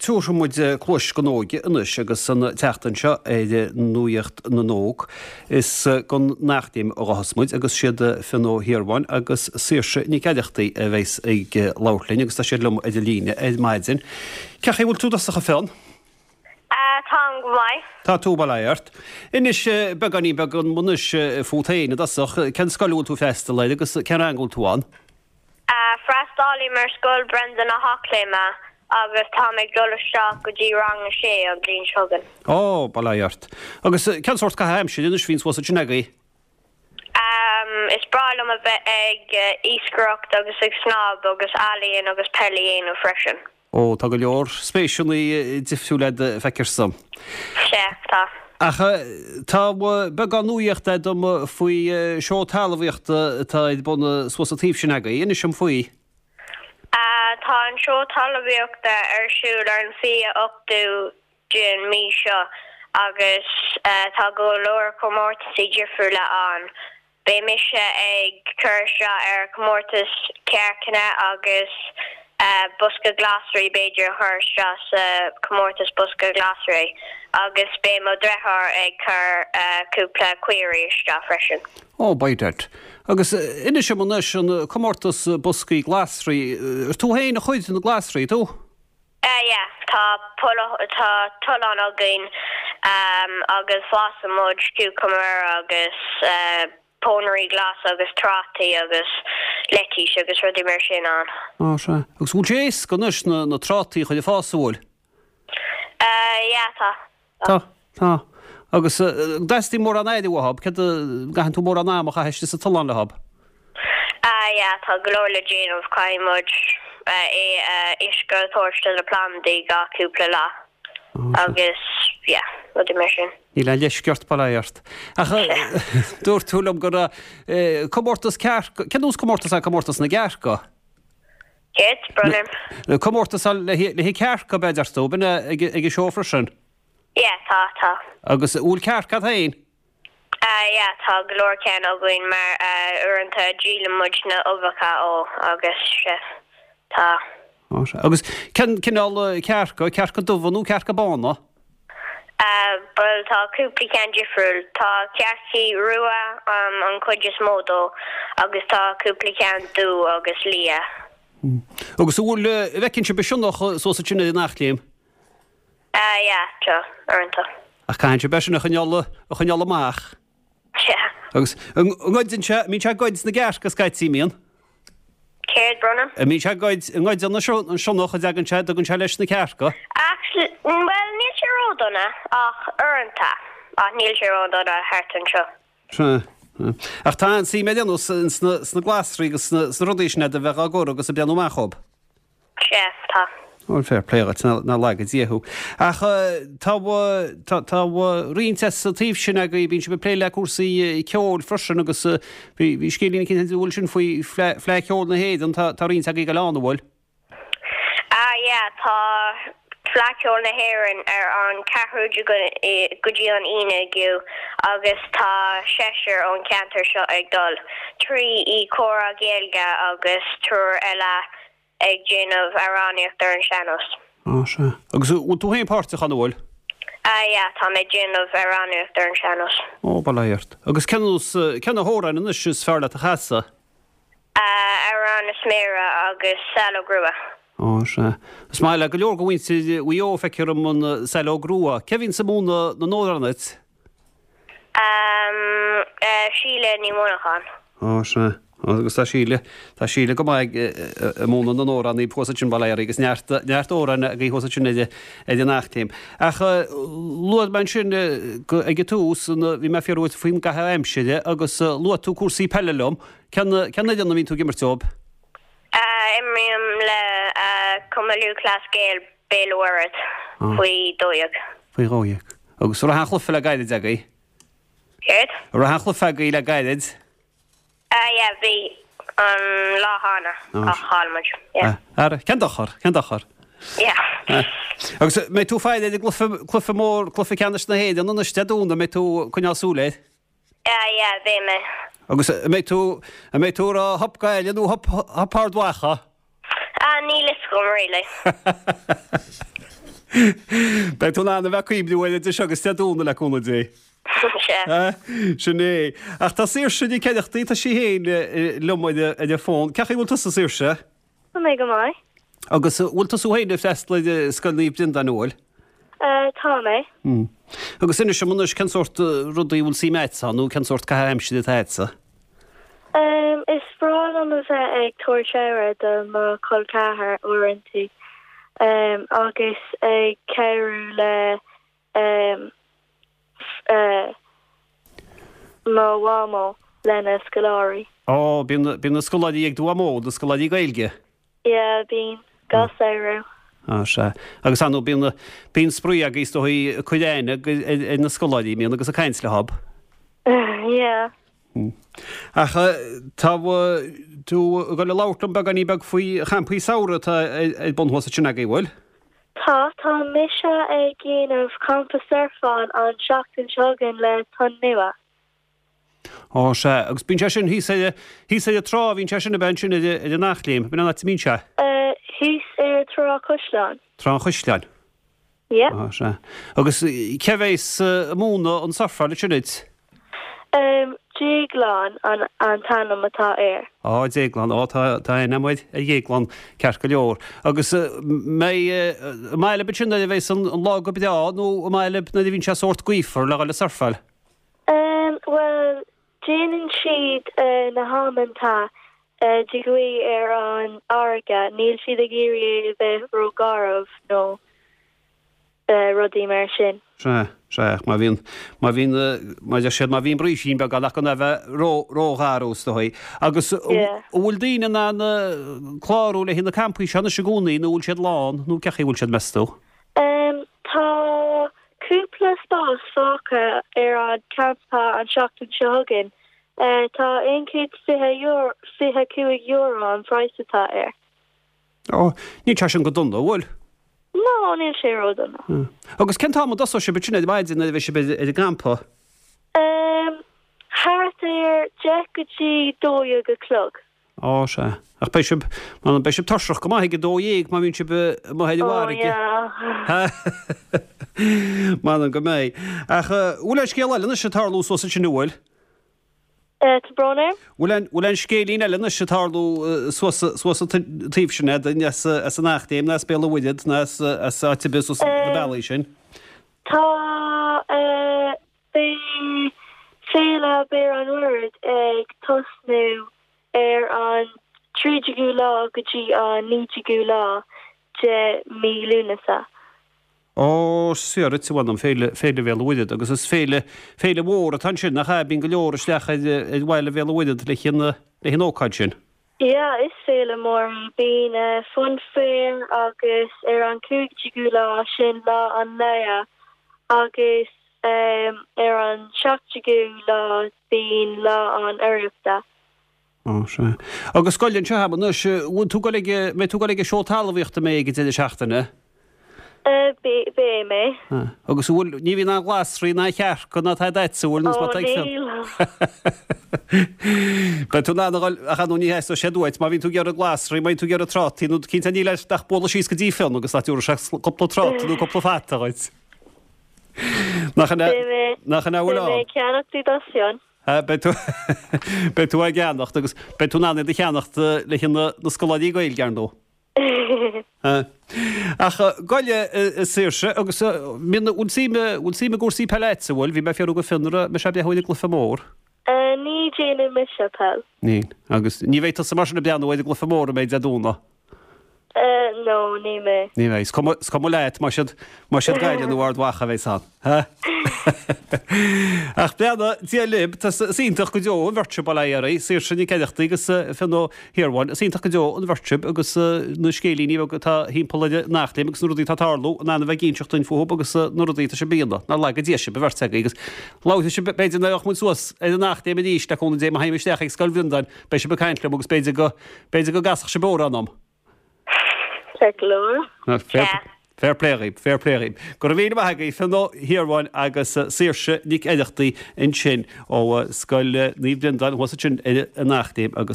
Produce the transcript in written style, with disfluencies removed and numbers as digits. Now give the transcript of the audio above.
Tabharfaidh muid cluais don óige anois agus an tseachtain seo ar Nuacht na nÓg is don Eachléim a ghabhfas muid agus siad Fionn Ó hIarmháin agus Saoirse Nic Aireachtaigh a bheas ag labhairt linn agus tá siad liom ar an líne ar maidin. Cén chaoi a bhfuil tú i dtosach a Fionn? Táim go maith. Tá tú, bail ó Dhia ort. Inis beagáinín beag dom anois fút féin i dtosach, cén scoil a bhfuil tú ag freastal air agus cén rang a bhfuil tú ann? Freastalaím ar Scoil Brendan na hEachléime agus táim ag dul isteach go dtí rang a sé an bhliain seo chugainn. Ó, bail ó Dhia ort. Agus cén sórt caitheamh aimsire anois a bhíonn suas ansin agaibh? Is breá liom a bheith ag iascaireacht agus ag snámh agus ealaíon agus peil a dhéanamh freisin. Ó, tá go leor spéiseanna difriúil agat, feictear dom. Sea, tá. Ach tá beagán nuaíochta agam faoi seó talmhaíochta atá ar bun suas an taobh sin agaibh. Inis dom faoi. Tá an seó talmhaíochta ar siúl ar an 28ú den mí seo agus tá go leor comórtasaí difriúla ann. Beidh mise ag cur isteach ar chomórtas cearcanna agus bosca glasraí b'fhéidir a chur isteach sa chomórtas bosca glasraí agus beidh mo dhreatháir ag cur cúpla caoirigh isteach freisin. Ó, by dad. Agus inis dom anois, an comórtas boscaí glasraí, ar tú féin a chuir na glasraí, tú? Yeah, tá tá tollán againn agus fásann muid cucumber agus pónairí glasa agus trátaí agus leitís agus rudaí mar sin ann. Á, sea. Agus bhfuil sé éasca anois na na trátaí a chur ag fás, an bhfuil? Yeah, tá. Tá, tá. Agus an dteastaíonn mórán aire uathub, céard a, gcaitheann tú mórán ama a chaitheamh istigh sa tollán leothub? Ah yeah, tá go leor le déanamh, caithfidh muid é uisce a thabhairt do na plandaí gach cúpla lá agus yeah, rudaí mar sin. Níl aon leisce ort, bail ó Dhia ort. Ach dúirt tú liom go raibh comórtas cearca, cén nós comórtas é comórtas na gcearca? Céard, brón orm? Comórtas le haghaidh cearca, b'fhéidir tú, b'in é ag an seó freisin? Yeah, tá, tá. Agus an bhfuil cearca agat féin? Ah yeah, tá go leor ceann againn mar uaireanta díolann muid na uibheacha ó agus sea, tá. Á sea. Agus cén cineál cearca, cearca dubha nó cearca bána? Bhuel tá cúpla ceann difriúil. Tá cearcaí rua an chuid is mó dó agus tá cúpla ceann dubh agus liath. Agus an bhfuil, an bhfeiceann sibh an sionnach suas ansin ar an Eachléim? Yeah, tá, uaireanta. Ach caitheann sibh é sin a choinneáil, a choinneáil amach. Sea. Agus an ngoideann sé, an mbíonn sé ag goid na gcearc scaití, an mbíonn? Céard, brón orm? An mbíonn sé ag goid, an ngoideann an sionnach, an dtagann sé, dtugann sé leis na cearca? Actually, bhuel, níl sé ródhona, ach uaireanta. Ach níl sé ródhona thart anseo. Sea. Ach tá an-suim ar aon nós sna glasraí agus sna rudaí sin agat a bheith á gcur agus ag breathnú amach dhób. Sea, tá. Bhuel, fair play dhuit, nach laga Dia thú. Ach tá, tá, tá roinnt as an taobh sin agaibh, bíonn sibh ag plé le cúrsaí ceoil freisin agus bhí, bhí scéilín eicínt an bhfuil sin faoi Fleadh, Fleadh Cheoil na hÉireann, tá, tá roinnt agaibh ag dul ann, an bhfuil? Ah yeah, tá Fleadh Cheoil na hÉireann ar an 14ú go dtí an 11ú agus tá seisear ón cheantar seo ag dul, trí i Comhrá Gaeilge agus triúr eile ag déanamh amhránaíocht ar an sean-nós. Á, sea. Agus an bhfuil tú féin páirteach ann, an bhfuil? Ah yeah, tá mé ag déanamh amhránaíocht ar an sean-nós. Ó, bail ó Dhia ort. Agus cén nós, cén na hamhráin anois is fearr leat a chasadh? Amhrán na Sméara agus Saileog Rua. Á, sea. Is maith le go leor de mhuintir Mhaigh Eo, feictear dom, an Saileog Rua. Cé a bhíonns ag múineadh na n-amhrán duit? Síle Ní Mhuineacháin. Á, sea. Agus tá Síle, tá Síle go maith ag múineadh na n-amhrán thuas ansin, bail ó Dhia uirthi, agus neart, neart amhráin agaibh thuas ansin ar an Eachléim. Ach luaigh mé ansin ag an tús, bhí mé ag fiafraí uait faoin gcaitheamh aimsire agus luaigh tú cúrsaí peile liom. Cén fhoireann a mbíonn tú ag imirt dóibh? Imrím le Cumann Lúthchleas Gael Béal an Mhuirthead faoi 12. Faoi 12. Agus an raibh aon chluiche le gairid agaibh? Céard? An raibh aon chluiche agaibh le gairid? Yeah, bhí an lá cheana ach chaill muid. Yeah. Ara, cén dochar? Cén dochar? Yeah. Agus mbeidh tú ag faire ar an gcluiche, cluiche mór, cluiche ceannais na hÉireann anois Dé Domhnaigh, mbeidh tú ag coinneáil súil air? Ah yeah, beidh mé. Agus an mbeidh tú, an mbeidh tú ag rá hup Gaillimh nó hup, hup Ard Mhacha? Ah, níl fhios agam really. Beidh tú in ann a bheith ag cuimhniú air idir seo agus Dé Domhnaigh le cúnamh Dé. Sea. Sin é. Ach tá Saoirse Nic Oireachtaigh, tá sí féin liom ar an bhfón. Cén chaoi a bhfuil tusa, Saoirse? Tá mé go maith. Agus an bhfuil tusa féin ag freastal ar Scoil Naomh Breandán, an bhfuil? Tá mé. Agus inis dom anois cén sórt rudaí a bhfuil suim agatsa ann nó cén sórt caitheamh aimsire atá agatsa? Is breá liom a bheith ag tabhairt aire do mo chol ceathar uaireanta agus ag cabhrú le mo mhamó lena scoláirí. Ó, bíonn, bíonn na scoláirí ag do mhamó, na scoláirí Gaeilge? Yeah, bíonn, gach samhradh. Á, sea. Agus ar ndóigh, bíonn, bíonn spraoi agaibh is dóigh ag cur aithne ar na scoláirí, mbíonn agus ag caint leob? Yeah. Ach tá tú ag dul a labhairt liom beagáinín beag faoi champaí samhraidh atá ar bun thuas ansin agaibh, bhfuil? Tá, tá mise ag déanamh campa surfáil an seachtain seo chugainn le Tonn Nua. Ó, sea, agus bíonn sé sin thíos ar, thíos ar an trá, bhíonn sé sin ab ea ansin ar, ar an Eachléim, b'in an áit a mbíonn sé? Thíos ar Trá Chaisleáin. Trá an Chaisleáin. Yeah. Á, sea. Agus cé bhéas ag múineadh an surfáil ansin duit? Em, Déaglán an an t-ainm atá air. Á, Déaglán, á, tá, tá aithne agam ar Dhéaglán, ceart go leor. Agus mbeidh, an maith libh ansin nuair a bheas an lá go breá nó an maith libh nuair a bhíonn sé sórt gaofar le dhul ag surfáil? Em, bhuel, déanann siad na hamanta de ghaoth ar an fharraige, níl siad ag iarraidh é a bheith ró-gharbh nó rudaí mar sin. Sea, sea, ach má bhíonn, má bhíonn, mar a deir siad, má bhíonn brísín beag ann ach gan é a bheith ró, ró-gharbh is dóigh. Agus an bhfuil daoine in ann clárú le haghaidh na campaí seo anois i gcónaí nó bhfuil siad lán nó cén chaoi a bhfuil siad meas tú? Tá cúpla spás fágtha ar an campa an seachtain seo chugainn. Tá €125 an praghas atá air. Ó, níl sé sin go dona, an bhfuil? No, níl sé ró-dona. Agus cén t-am a dtosóidh sibh ansin ar maidin nuair a bheidh sibh ar an gcampa? Em, thart ar deich go dtí dó dhéag a chlog. Ó, sea. Ach beidh sibh, m'anam, beidh sibh tuirseach go maith ag a dó dhéag má bhíonn sibh amuigh ar an Ó, bhfarraige. yeah. M'anam go mbeidh. Ach, bhfuil aon scéal eile anois ag tarlú suas ansin, an bhfuil? Tá brón orm. Bhfuil aon, bhfuil aon scéilín eile anois ag tarlú suas, suas an taobh sin a'd, as, as an Eachléim ná as Béal an Mhuirthead ná as, as áit ar bith suas na bealaí sin? Tá, beidh Féile Béal an Mhuirthead ag tosnú ar an 13ú lá go dtí an 19ú lá de mí Lúnasa. Ó, sea dhuit, a mh'anam, Féile, Féile Bhéal an Mhuirthead, agus is féile, féile mhór atá ansin, nach ea? Bíonn go leor isteach ar, ar bhaile Bhéal an Mhuirthead le haghaidh an, le haghaidh an ócáid sin. Yeah, is féile mór í. Bíonn funfair agus ar an 15ú lá, sin lá an fhleadh, agus ar an 17ú lá bíonn lá an urraíochta. Ó, sea. Agus scoil anseo agam anois, bhfuil tú ag dul ag, mbeidh tú ag dul ag an seó talmhaíochta mbeidh ag an deireadh seachtaine? Beidh mé. Agus an bhfuil, ní bhíonn aon ghlasraí ná cearca ná tada agatsa, an bhfuil, nó má tá ag Ó, níl. Beidh tú in ann a dhul, ach ar ndóigh ní theastóidh siad uait, má bhíonn tú ag iarraidh glasraí, má bhíonn tú ag iarraidh trátaí, nó cinnte níl ort ach bualadh síos go dtí Fionn agus ná tabharfaidh sé cúpla tráta nó cúpla fata dhuit. Nach ina, nach ina bhfuil ann? Beidh mé ag ceannacht iad as Fionn. Beidh tú beidh tú á gceannacht agus beidh tú in ann iad a cheannacht le haghaidh na na scoláirí Gaeilge, ar ndóigh. Ach gabh i leith, a Saoirse, agus mbíonn bhfuil suim bhfuil suim i gcúrsaí peile agatsa, an bhfuil? Bhí mé ag fiafraí de Fionn an raibh mise ag breathnú ar an gcluiche mór. Ní dhéanann mise peil. Níl. Agus ní bheidh tusa mar sin ag breathnú ar an gcluiche mór a mbeidh Dé Domhnaigh? No, ní mé. Ní bheidh. Is cuma, is cuma leat más iad, más iad Gaillimh nó Ard Mhacha a bheas ann. Ha? Ach beannacht Dé libh, tá, is iontach go deo an bheirt sibh, bail ó Dhia oraibh, Saoirse Nic Oireachtaigh agus Fionn Ó hIarmháin, is iontach go deo an bheirt sibh agus na scéilíní beaga atá thimpeall ar an Eachléim agus na rudaí atá ag tarlú, in ann a bheith ag inseacht dúinn fúthu agus na rudaí atá sibh a dhéanamh. Nár laga Dia sibh, an bheirt agaibh, agus labharfaidh sibh, b'fhéidir nuair a bheadh muid suas ar an Eachléim arís, le cúnamh Dé, má théim isteach ag Scoil Bhreandáin, beidh sibh ag caint liom agus b'fhéidir go, B'fhéidir go gcasfadh sibh amhrán dom. Ceart go leor. Fair play dhaoib, fair play dhaoib. Go raibh míle maith agaibh, Fionn Ó hIarmháin agus Saoirse Nic Oireachtaigh ansin ó Scoil Naomh Breandán thuas ansin ar an Eachléim agus.